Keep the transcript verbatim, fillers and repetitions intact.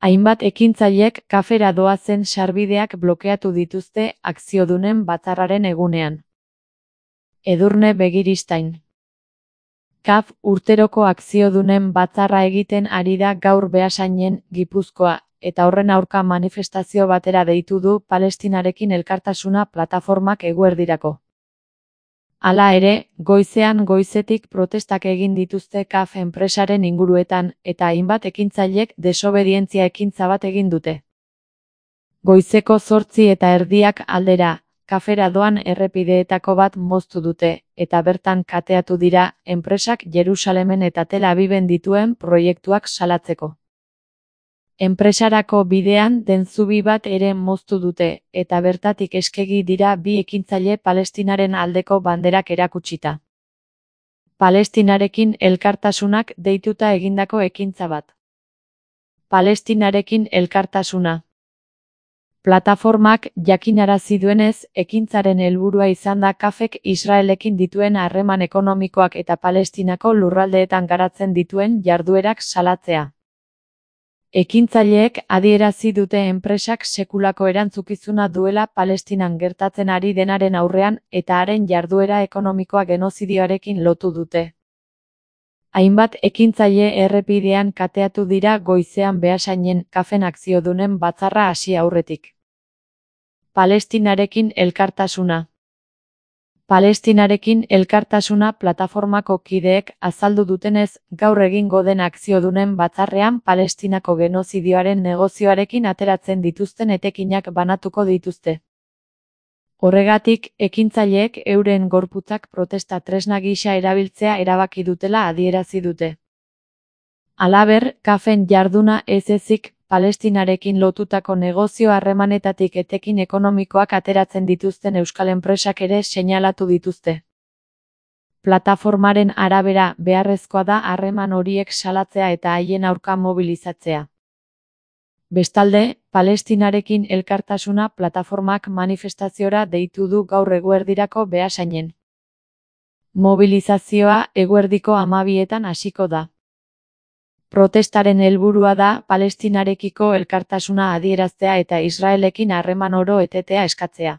Hainbat ekintzailek kafera doazen sarbideak blokeatu dituzte akziodunen batzarraren egunean. Edurne Begiristain. Kaf urteroko akziodunen batzarra egiten ari da gaur Beasainen, Gipuzkoa, eta horren aurka manifestazio batera deitu du Palestinarekin elkartasuna plataformak eguerdirako. Hala ere, goizean goizetik protestak egin dituzte Kaf enpresaren inguruetan, eta hainbat ekintzailek desobedientzia ekintza bat egin dute. Goizeko zortzi eta erdiak aldera, kafera doan errepideetako bat moztu dute, eta bertan kateatu dira, enpresak Jerusalemen eta Tel Aviven dituen proiektuak salatzeko. Enpresarako bidean den zubi bat ere moztu dute, eta bertatik eskegi dira bi ekintzaile Palestinaren aldeko banderak erakutsita. Palestinarekin elkartasunak deituta egindako ekintza bat. Palestinarekin elkartasuna. Plataformak jakinarazi duenez, ekintzaren helburua izan da Kafek Israelekin dituen harreman ekonomikoak eta Palestinako lurraldeetan garatzen dituen jarduerak salatzea. Ekintzaileek adierazi dute enpresak sekulako erantzukizuna duela Palestinan gertatzen ari denaren aurrean eta haren jarduera ekonomikoa genozidioarekin lotu dute. Hainbat ekintzaile errepidean kateatu dira goizean Beasainen Kafen akziodunen batzarra hasi aurretik. Palestinarekin elkartasuna. Palestinarekin elkartasuna plataformako kideek azaldu dutenez, gaur egingo den akziodunen batzarrean Palestinako genozidioaren negozioarekin ateratzen dituzten etekinak banatuko dituzte. Horregatik, ekintzaileek euren gorputzak protesta tresna gisa erabiltzea erabaki dutela adierazi dute. Halaber, Kafen jarduna ez ezik, Palestinarekin lotutako negozio harremanetatik etekin ekonomikoak ateratzen dituzten euskal enpresak ere seinalatu dituzte. Plataformaren arabera, beharrezkoa da harreman horiek salatzea eta haien aurka mobilizatzea. Bestalde, Palestinarekin elkartasuna plataformak manifestaziora deitu du gaur eguerdirako Beasainen. Mobilizazioa eguerdiko hamabietan hasiko da. Protestaren helburua da Palestinarekiko elkartasuna adieraztea eta Israelekin harreman oro etetea eskatzea.